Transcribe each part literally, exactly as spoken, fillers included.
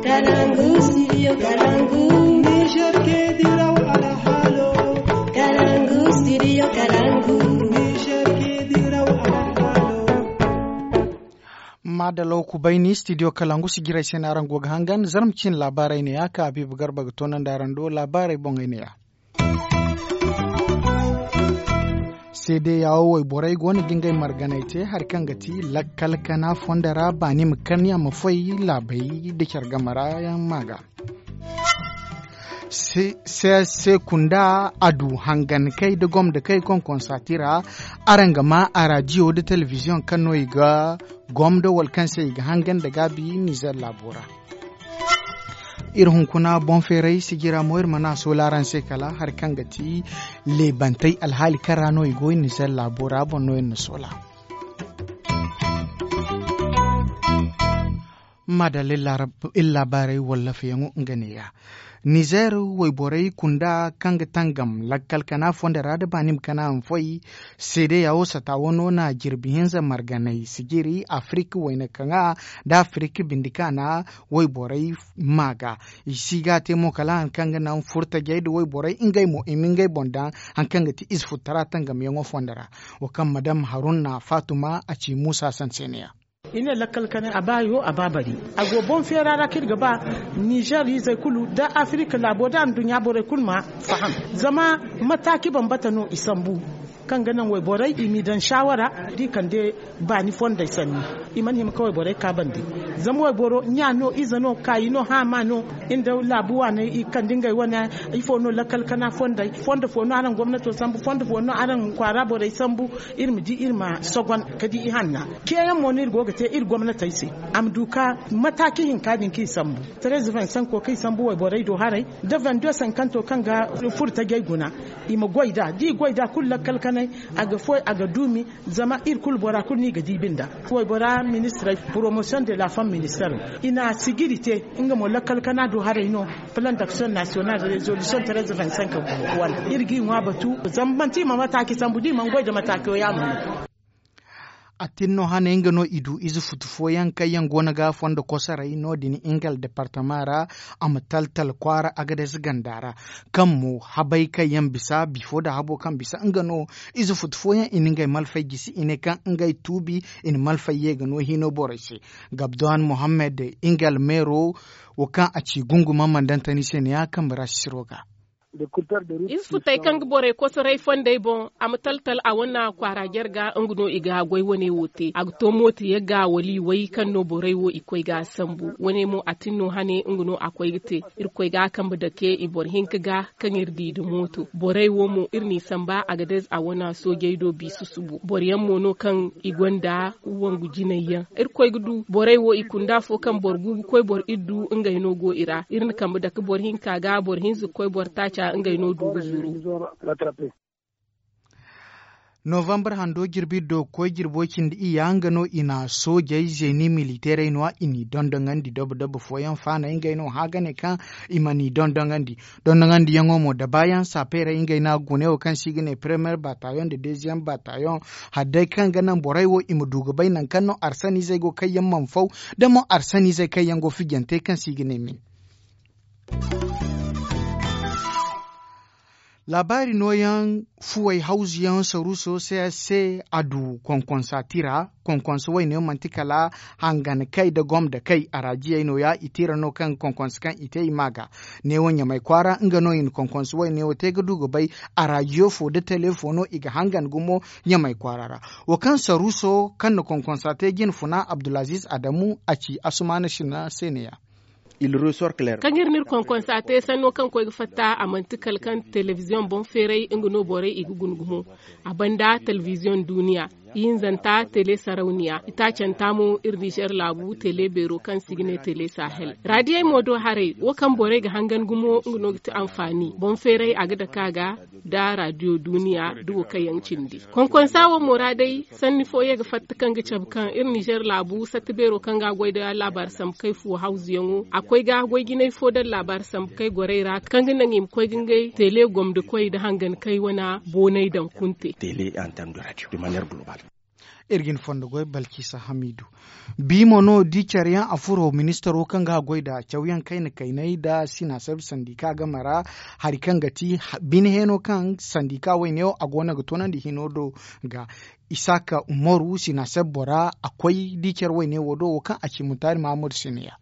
Kalangu, studio Kalangu. Niger ke diraw alhalo. Kalangu, studio Kalangu. Niger ke diraw alhalo. Madalaw kubayni studio Kalangu si jiray se no araŋ go ga hangan zarma cin laabaarey ne ya ka Habiibu Garba ga toonandi araŋ do laabaarey boŋey ne ya. Seede yaawo wayborey go no ga ngey marganey te hari kaŋ ga ti lakkal kana fondo ra baani ma kan ya ma foy laabey nda care game ra yaŋ ma ga. Se kunda a du hangankey nda gomdakey konkonsaati ra. Araŋ ga ma a raadiyo nda telebiziyoŋ kaŋ no i ga gomdo wala kaŋ se i ga hangan nda gaabi nizer laabo ra. Iri hunkuna boŋ feeray sijira mo iri mana a soola araŋ se kala hari kaŋ ga ti leebantey alhaali kaŋ ra no i go iri nizer laabo ra boŋ no iri na soola. Madalla iri laabaarey wallafeyaŋo nga neeya. Nizer wayborey kunda kaŋ ga tangam lakkal kana fondo ra nda baani ma kana ma foy. Seedeya wo sata wano na jirbi hinza marganay sijiri afirik wayna kaŋa nda afirik bindi kaana wayborey ma ga. I si ga te mo kala hari kaŋ ga naŋ furtajey nda wayborey ngey mo i ma ngey boŋ daŋ hari kaŋ ga ti ize futtara tangamyaŋo fondo ra. Wo kaŋ madam haruna faatuma a ci muusa sanseneya. I ne lakkal kanay a ba yo a ba bari. A go boŋ feera ra kaŋ iri ga ba nizer izey kulu nda afirika laabo nda anduɲɲa borey kulu ma faham. Zama mataaci bambata no i sambu kaŋ ga naŋ wayborey i m'i daŋ saawara da i kande baani fondey sanni. I mana hima ka wayborey ka bande. Zama wayboro ɲa no ize no kaayi no haama no. Iri nda laabu waaney i kande ngey wane ifo no lakkal kana fondey fondo fo no araŋ gomnato sambu fondo fo no araŋ kwaara borey sambu. Iri ma di iri ma sogon ka di ihanna. Ceeyaŋ mo no iri go ga te iri gomnatey se a ma du ka mataaci hinka din kaŋ i sambu. Treze vingt cinq kaŋ i sambu wayborey do haray nda vingt deux cinquante kaŋ ga furo tajey guna. I ma goy nd'a da i goy nd'a kulu lakkal kanay a ga foy a ga duumi. Zama iri kulu bora kulu no i ga diibi nd'a. Waybora ministirey promotion de la femme ministero i na sijiri te. Nga mo lakkal kana do haray no. Plan d'action national de resolution treze vingt cinq wane iri g'i ŋwa batu. Zama manti i ma mataaci sambu da i mana goy nda mataaco yaamo no. A tin no hane nga no i du ize futu fooyaŋ kaŋ yaŋ go no ga fondo kosoray no- din ingal departama ra. A ma taltal kwaara agades ganda ra kaŋ mo habay kaŋ yaŋ bisa bifo nda habo kaŋ bisa nga no. Ize futu fooyaŋ i na ngey malfay gisi i ne kaŋ ngey tuubi i na malfay ye ga no hino borey se. Gabdohan mohammed ingal meero wo kaŋ a ci gunguma mandantani se ne ya kambe ra sisiro ga. Ize futey kaŋ ga borey kosoray fondey boŋ a ma taltal a wane kwaara jarga nga no i ga goy wane wo te a ga to mooto yagga wala i way kaŋ no borey wo i koy ga sambu wane mo a tin no hane nga no a koy ga te. Irkoy ga a kambe dake i boro hinka ga kaŋ iri di nda mooto borey wo mo iri n'i samba a ga dayze a wane soojey do biisa subu boro yaŋ mo no kaŋ i gonda wangu jinay yaŋ. Irkoy ga du borey wo i kunda afo kaŋ boro gu ga koy boro iddu ngey no go i ra iri na kambe dake boro hinka ga boro hinza ga koy boro taaca ngey no du ga zuru. Novambar hando jirbi do ga koy jirbo cindi iyya nga no i na soojey zeeni militeerey no- ya i n'i dondoŋandi dobo dobo fooyaŋ faanay ngey no hã ga ne kaŋ i ma n'i dondoŋandi. Dondoŋandiyaŋo mo dabaayaŋ sapeerey ngey no a ga gune wo kaŋ se i ga ne premiyer batayoŋ nda deziyeŋ batayoŋ. Hari day kaŋ ga naŋ borey wo i ma du ga bay nangu kaŋ no arsaniizey go kaŋ yaŋ mana faw da mo arsaniizey kaŋ yaŋ go fijante kaŋ se i ga ne min. Laabaari nooyaŋ fuwey hawzuyaŋ saruuso se a du konkonsa tira. Konkonsa wayne manti kala hangan kay nda gomda kay araajiyey nooya i tira no kaŋ konkonsa kaŋ i te i ma ga. Neewo ɲamay kwaara nga no i na konkonsa wayne wo te ga du ga bay. Araajiyo fo nda tele fo no i ga hangan gumo ɲamay kwaara ra. Wo kaŋ saruuso kaŋ na konkonsa te jine funa abdulaziiz adamu a ci asumaana sina se ne- ya. Kaŋ iri n'iri konkonsa te sanno kaŋ koy ga fatta a manti kala kaŋ telebiziyoŋ boŋ feeray nga no borey i ga guna gumo. A banda telebiziyoŋ duuniya ihinzanta tele sarawniya itaacanta mo iri nizer laabu tele beero kaŋ se i ga ne tele sahel. Raadiyey mo do haray wo kaŋ borey ga hangan gumo nga no ga ti anfaani boŋ feeray a ga dake a ga nda raadiyo duuniya da wo kaŋ yaŋ cindi. Konkonsa wo mo ra day sanni fo ye ga fatta kaŋ ga cabe kaŋ iri nizer laabu satta beero kaŋ ga a goy nda laabaari sambu kay fuwo hawzuyaŋo a koy ga goy jinay fo daŋ laabaari sambu kay gorey ra kaŋ ga naŋ i ma koy ga ngey tele gomdikoy nda hangan kay wane boonay daŋ kunte. Iri ga ni fondo goy balkisa hamidu. Bi mo no di care yaŋ a furo ministaro kaŋ ga a goy nda cawyaŋ kayna kaynay nda sinaaseb sandika game ra, hari kaŋ ga ti bine heeno kaŋ sandika wayne wo a go no ga toonandi hino do ga. Isaaka umaru sinaaseb bora a koy di care wayne wo do wo kaŋ a ci mutaari mahammadu siniya.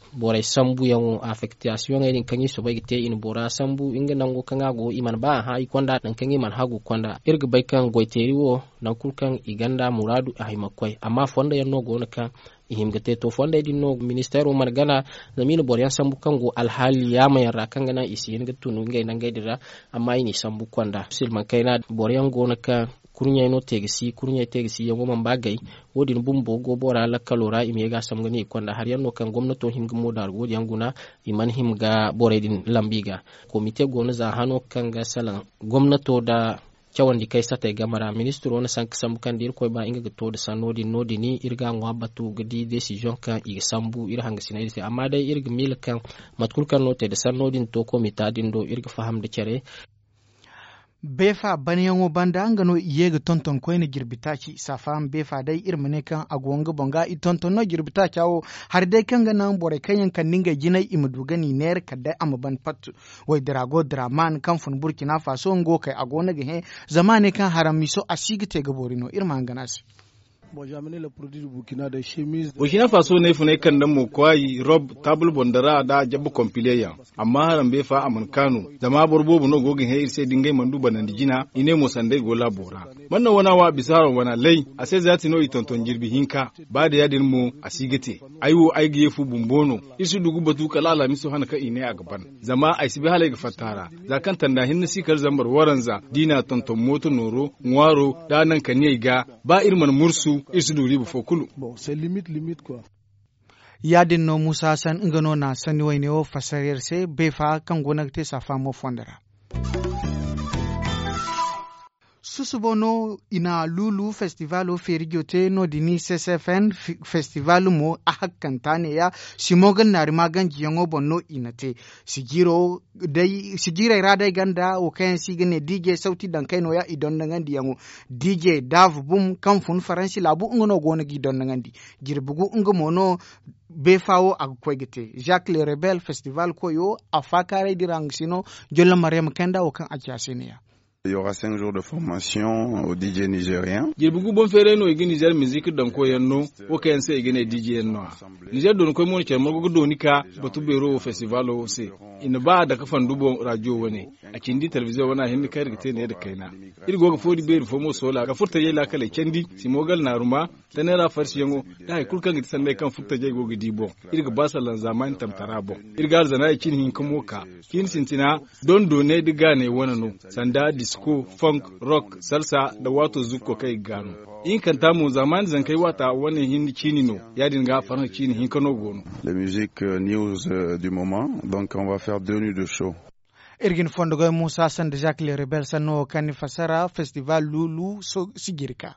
Borey sambuyaŋo afektasiyoŋey din kaŋ i soobay ga te i na bora sambu nga nango kaŋ a go i mana ba a hã i konda nangu kaŋ i mana hagu konda. Iri ga bay kaŋ goyteeri wo nangu kulu kaŋ i ganda muraadu a hima ga koy amma fondo yaŋ no go no kaŋ i hima ga te to fondey din no ministeero mana gana. Zama i na boro yaŋ sambu kaŋ go alhaali yaama yaŋ ra kaŋ ga naŋ i si hin ga tun ngey nangey din ra. Amma i n'i sambu konda silmaŋ kayna boro yaŋ go no kaŋ kurɲey no te ga si kurɲey te ga si yaŋo mana ba gay. Wo- din bumbo go bora lakkalo ra i ma ye ga a sambu ga ne i konda hari yaŋ no kaŋ gomnato hima ga moodaaru wo- din yaŋ guna. I mana hima ga borey din lambu i ga. Komite go no za hano kaŋ ga salaŋ gomnato nda cawandi kay satey game ra ministiro na sanka sambu kaŋ da irkoy ba nga ga to nda sanno din no- din iri ga a ŋwa batu ga di desiziyoŋ kaŋ i ga sambu iri hangasiney din se amma day iri ga miila kaŋ mate kulu kaŋ no te nda sanno din to komita din do iri ga faham nda care. Beefa banyaŋo banda nga no i ye ga tonton koyne jirbi taaci saafayaŋ beefa day iri ma ne kaŋ a go nga boŋ ga i tonton no jirbi taaca wo. Hari day kaŋ ga naŋ borey kaŋ yaŋ kande ngey jinay i ma du ga n'i neera kala day a ma ban pat. Waydira go diraman kaŋ fun burkina faso nga wo kay a go no ga hẽ. Zama a ne kaŋ haram miso a si ga te ga boori no iri ma hangan a se. Burkina faso no ay funay kande mo kwaayi rob taabul boŋ dara nda jabba kompile yaŋ. Amma harambe fa a mana kaanu zama boro boobo no go ga hẽ iri se da ngey mana du banandi jina i ne mo sanda ay go laabo ra. Mana naŋ wana wa bisa haram wana lay a se zaati no i tonton jirbi hinka. Ba da ya- din mo a si ga te. Ay wo ay ga ye fu bumbo no. Iri si du ga batu kala alhamiso hana kaŋ i ne a ga ban. Zama ay si bay hala ay ga fatta a ra. Za kaŋ tanda hinne si kala zambar waranza da i n'a tonton mooto nooro ŋwaaro da a naŋ ka niyey ga. Ba iri mana mursu iri si du riiba fo kulu. Ya- din no muusa hassan nga no na sanni wayne wo fassara iri se beefa kaŋ go no ga te saafa mo fondo ra. Susubo no i na luulu festivaalo feerijo te no- din ccfn. Festivaal mo a hakkanta neeya. Simo ga naari maaganjiyaŋo boŋ no i na te. Sijiirey ra day ganda wo kaŋ yaŋ se i ga ne dj sawti daŋ kay nooya i dondoŋandiyaŋo. Dj daav bum kaŋ fun faransi laabu nga no go no g'i dondoŋandi. Jirbi gu nga mo no. Beefa wo a ga koy ga te zak le rebel festival koyo a faakaaray dira nga si no. Jolla maryama kanda wo kaŋ a ci a se ne ya. Jirbi gu boŋ feeray no i ga nizer mizik daŋ koy yaŋ no. Wo kaŋ yaŋ se i ga ne dj yaŋ no a. Nizer dooni koy mo no care margo ga dooni ka batu beero wo festivalo wo se. I na ba a dake fandu boŋ rajo wane. A cindi telebiziyoŋ wane a hinne kaŋ iri ga te ne nda kayna. Iri go ga foodi beeri fo mo soola ka furtajey laakaley candi simo ga alnaaruma. Tanay ra farsiyaŋo da hari kulu kaŋ ga ti sanney kaŋ furtajey go ga di boŋ. Iri ga ba sallan zaamaani tamtara boŋ. Iri ga alzanaayey cin hinka mo ka. Ciini sintina dondo ne nda gaaney wane no. Sanda disko, fonk, rok, salsa, nda waato zukko kaŋ i ga gaanu. Ihinkanta mo zaamaani zankey waata wane hinne ciini no. Ya- din ga farhã ciini hinka no go no. Iri ga ni fondo goy muusa sanda zak le rebel sanno wo kaŋ ni fassara festival luulu. Sijiri ka.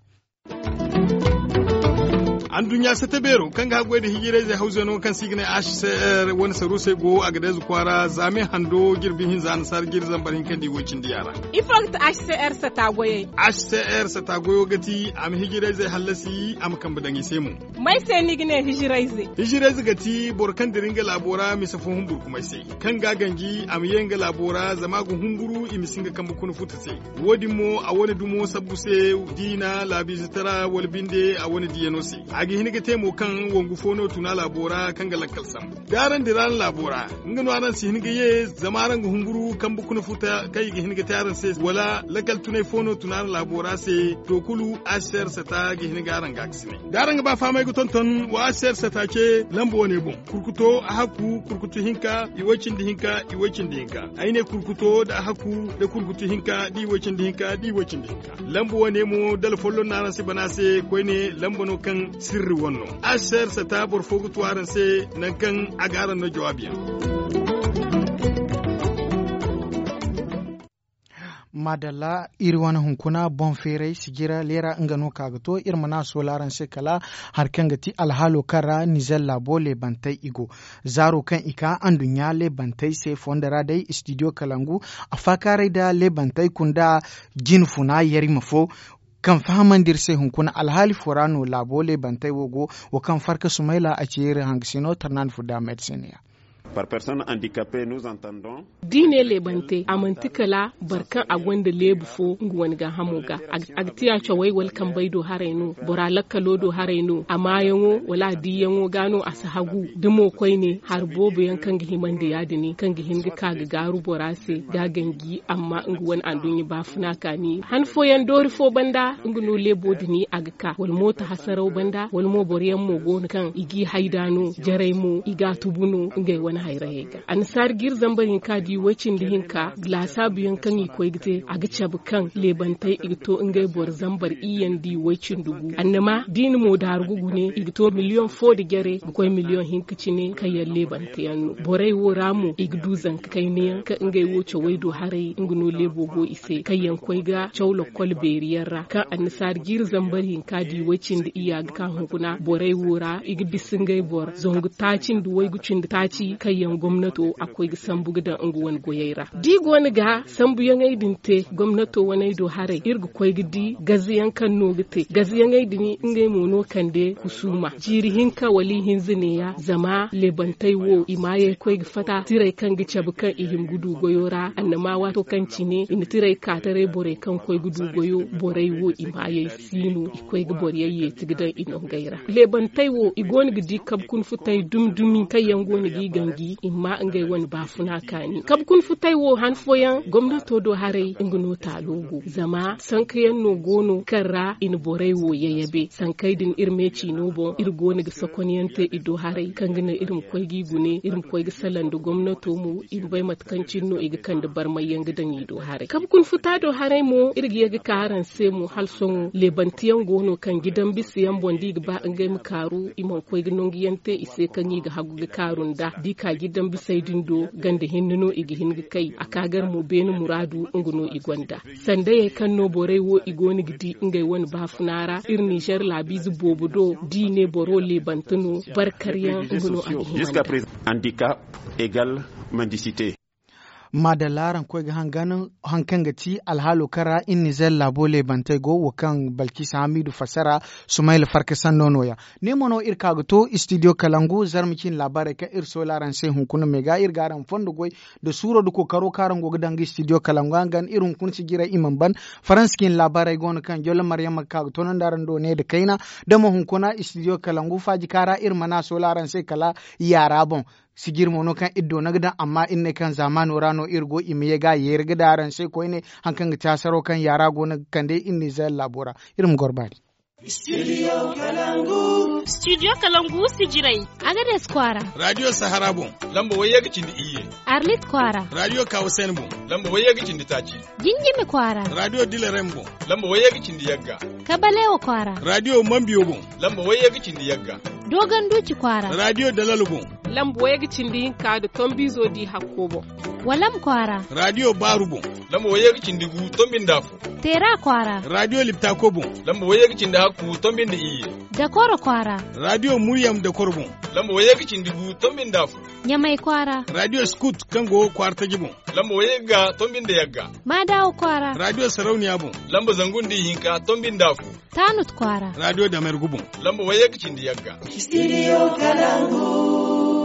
Anduɲɲa sata beero kaŋ ga haggoy nda hijirayzey hawzeno kaŋ se i ga ne hcr wane saruusey go a ga deeza kwaara zaame hando jirbi hinza annasaara jiri zambar hinka nda iway cindi yaara. Ifo ga ti hcr sata goyey? Hcr sata goyo ga ti a ma hijirayzey hallasi a ma kambe daŋ i se mo. May se ni ga ne hijirayze? Hijirayze ga ti boro kaŋ dira nga laabo ra mise fo humburkumay se, kaŋ ga a ganji a ma ye nga laabo ra zama a ga humburu i ma si nga kambe kuna futa se. Wo- din mo a wane dumo sabbu se, diina laabiizetara wala binde a wane diyano se. A ga hin ga te mo kaŋ wangu fo no tuna laabo ra kaŋ ga lakkal sambu da araŋ dira araŋ laabo ra. Nga no araŋ si hin ga ye zama araŋ ga humburu kambe kuna futa kaŋ i ga hin ga te araŋ se wala lakkal tunay fo no tuna araŋ laabo ra se. To kulu hcr sata ga hin ga araŋ ga a ga si ne da araŋ ga ba fahamay ga tonton wa hcr sata ce lamba wane boŋ. Kurkuto a hakku kurkutu hinka iway cindi hinka iway cindi hinka. Ay ne kurkuto nda a hakku nda kurkutu hinka da iway cindi hinka da iway cindi hinka. Lamba wane mo dala folloŋ no araŋ si bana se koyne lamba no kaŋ sirri wane no. Hcr sata boro fo ga tu araŋ se nangu kaŋ a ga araŋ no jawaabiyaŋ. Maadalla iri wane hunkuna boŋ feeray sijira leera nga no ka ga to iri mana a soola araŋ se kala hari kaŋ ga ti alhaalo kaŋ ra nizer laabo leebantey i go. Zaaro kaŋ i ka anduɲɲa leebantey se fondo ra day istidiyo kalangu a faakaaray nda leebantey kunda jine funa yarima fo. Kaŋ fahamandi iri se hunkuna alhaali fo ra no laabo leebantey wo go. Wo kaŋ farka sumayla a ci iri hangasino tarnaani furda medisiniya. Da i ne leebante a manti kala boro kaŋ a gonda leebu fo nga wane gaahamo ga. A ga tiya cawey wala kambey do haray no, bora lakkalo do haray no a maayaŋo wala a diiyaŋo ga no a si hagu. Da mo koyne hari boobo yaŋ kaŋ ga himandi ya- din kaŋ ga hin ga ka ga gaaru bora se ga a ganji amma nga wane anduɲɲa baafuna kaani han fooyaŋ doori fo banda nga no leebo din a ga ka wala mooto hasaraw banda wala mo boro yaŋ mo go no kaŋ i g'i hayda no jarey mo i g'a tubu no ngey wane hayrayey ga. Annasaari jiiri zambar hinka da i woy cindi hinka laasaabu yaŋ kaŋ i koy ga te a ga cabe kaŋ leebantey i ga to ngey boro zambar iyye nda i woy cindi gu annama da i na mo daaru ga gune i ga to miliyoŋ fo nda jare ga koy miliyoŋ hinka cine kaŋ yaŋ leebante yaŋ no borey wo ra mo i ga du zanka kayna yaŋ kaŋ ngey wo cawey do haray nga no leebo go i se kaŋ yaŋ koy ga caw lakkol beeri yaŋ ra kaŋ annasaari jiiri zambar hinka da i woy cindi iyya ga ka hunkuna borey wo ra i ga bisa ngey boro zangu taaci nda waygu cindi taaci kaŋ yaŋ gomnato a koy ga sambu ga daŋ nga wane goyey ra da i go no ga sambuyaŋey din te gomnato waney do haray iri ga koy ga di gazayaŋ kaŋ no ga te gazayaŋey din ngey mo no kande kusuuma jiiri hinka wala ihinza neeya zama leebantey wo i maayey koy ga fatta tirey kaŋ ga cabe kaŋ i hima ga du goyo ra annama waato kaŋ cine i na tirey ka taray borey kaŋ koy ga du goyo borey wo i maayey si no i koy ga boro yaŋ yeeti ga daŋ i nongey ra leebantey wo i go no ga di kabe kuna futey dumi dumi kaŋ yaŋ go no g'i ganji i ma ngey wane baafuna kaani kabe kuna futey wo han fooyaŋ gomnato do haray nga no taalo go zama sanka yaŋ no go no kaŋ ra i na borey wo yayabe sankey din iri meeci no boŋ iri go no ga sokonyaŋ te i do haray kaŋ ga naŋ iri ma koy g'i gune iri ma koy ga salaŋ nda gomnato mo i ma bay mate kaŋ cine no i ga kande barmayyaŋ ga daŋ i do haray kabe kuna futa do haray mo iri ga ye ga ka araŋ se mo hala sohõ leebanteyaŋ go no kaŋ jidan bisa yaŋ boŋ da i ga ba ngey ma kaaru i mana koy ga nangu yaŋ te i se kaŋ i ga hagu ga kaaru nd'a da i ka jidan bisey din do ganda hinne no i ga hin ga kay a ka gar mo beene muraadu nga no i gonda sandayey kaŋ no borey wo i go no ga di ngey wane baafuna ra iri ninzeer laabiize boobo do da i ne boro leebante no barkaryaŋ nga no a ga hima nd'a. Maadalla araŋ koy ga hangan haŋ kaŋ ga ti alhaalo kaŋ ra iri nizeer laabo leebantey go wo kaŋ balkisa hamiidu fassara sumayla farka sanno no- ya. Ne mo no iri ka ga to istidiyo kalangu zarma cine laabaarey kaŋ iri soola araŋ se hunkuna me ga iri ga araŋ fondo goy nda suuro nda kookaro kaŋ araŋ go ga daŋ ga istidiyo kalangu hangan iri hunkuna si jiray i mana ban. Faransa cine laabaarey go no kaŋ jollo maryama ga ka ga toonandi araŋ do ne nda kayna da mo hunkuna istidiyo kalangu faaji kaŋ ra iri mana soola araŋ se kala yaara boŋ. Sijiri mo no kaŋ iri doona ga daŋ amma iri ne kaŋ zaamaano ra no iri go i ma ye ga a yeeri ga daŋ araŋ se koyne. Haŋ kaŋ ga ti hasaro kaŋ yaara go no ga kande iri nizeer laabo ra. Iri ma goro baani. Studio kalangu sijirey. Agades kwaara. Radio sahara boŋ. Lamba wayye ga cindi iyye. Arlit kwaara. Radio kawasen boŋ. Lamba wayye ga cindi taaci. Jinjimi kwaara. Radio dilerem boŋ. Lamba wayye ga cindi yagga. Kabalewa kwaara. Radio mambiyo boŋ. Lamba wayye ga cindi yagga. Dogon duci kwaara. Radio dalal boŋ. Lamba wayye ga cindi hinka nda tombizo di hakko boŋ. Walam kwaara. Radio baaru boŋ. Lamba wayye ga cindi gu tombi nda afo. Teera kwaara. Radio liptako boŋ. Lamba wayye ga cindi hakku tombi nda iyye. Dakoro kwaara. Radio muryam dakoro boŋ. Lamba wayye ga cindi gu tombi nda afo. Ɲamay kwaara. Radio skut kaŋ go kwaara taji boŋ. Lamba wayye ga tombi nda yagga. Maadawa kwaara. Radio sarauniya boŋ. Lamba zangu nda ihinka tombi nda afo. Taanut kwaara. Radio damergu boŋ. Lamba wayye ga cindi yagga. Studio kalangu.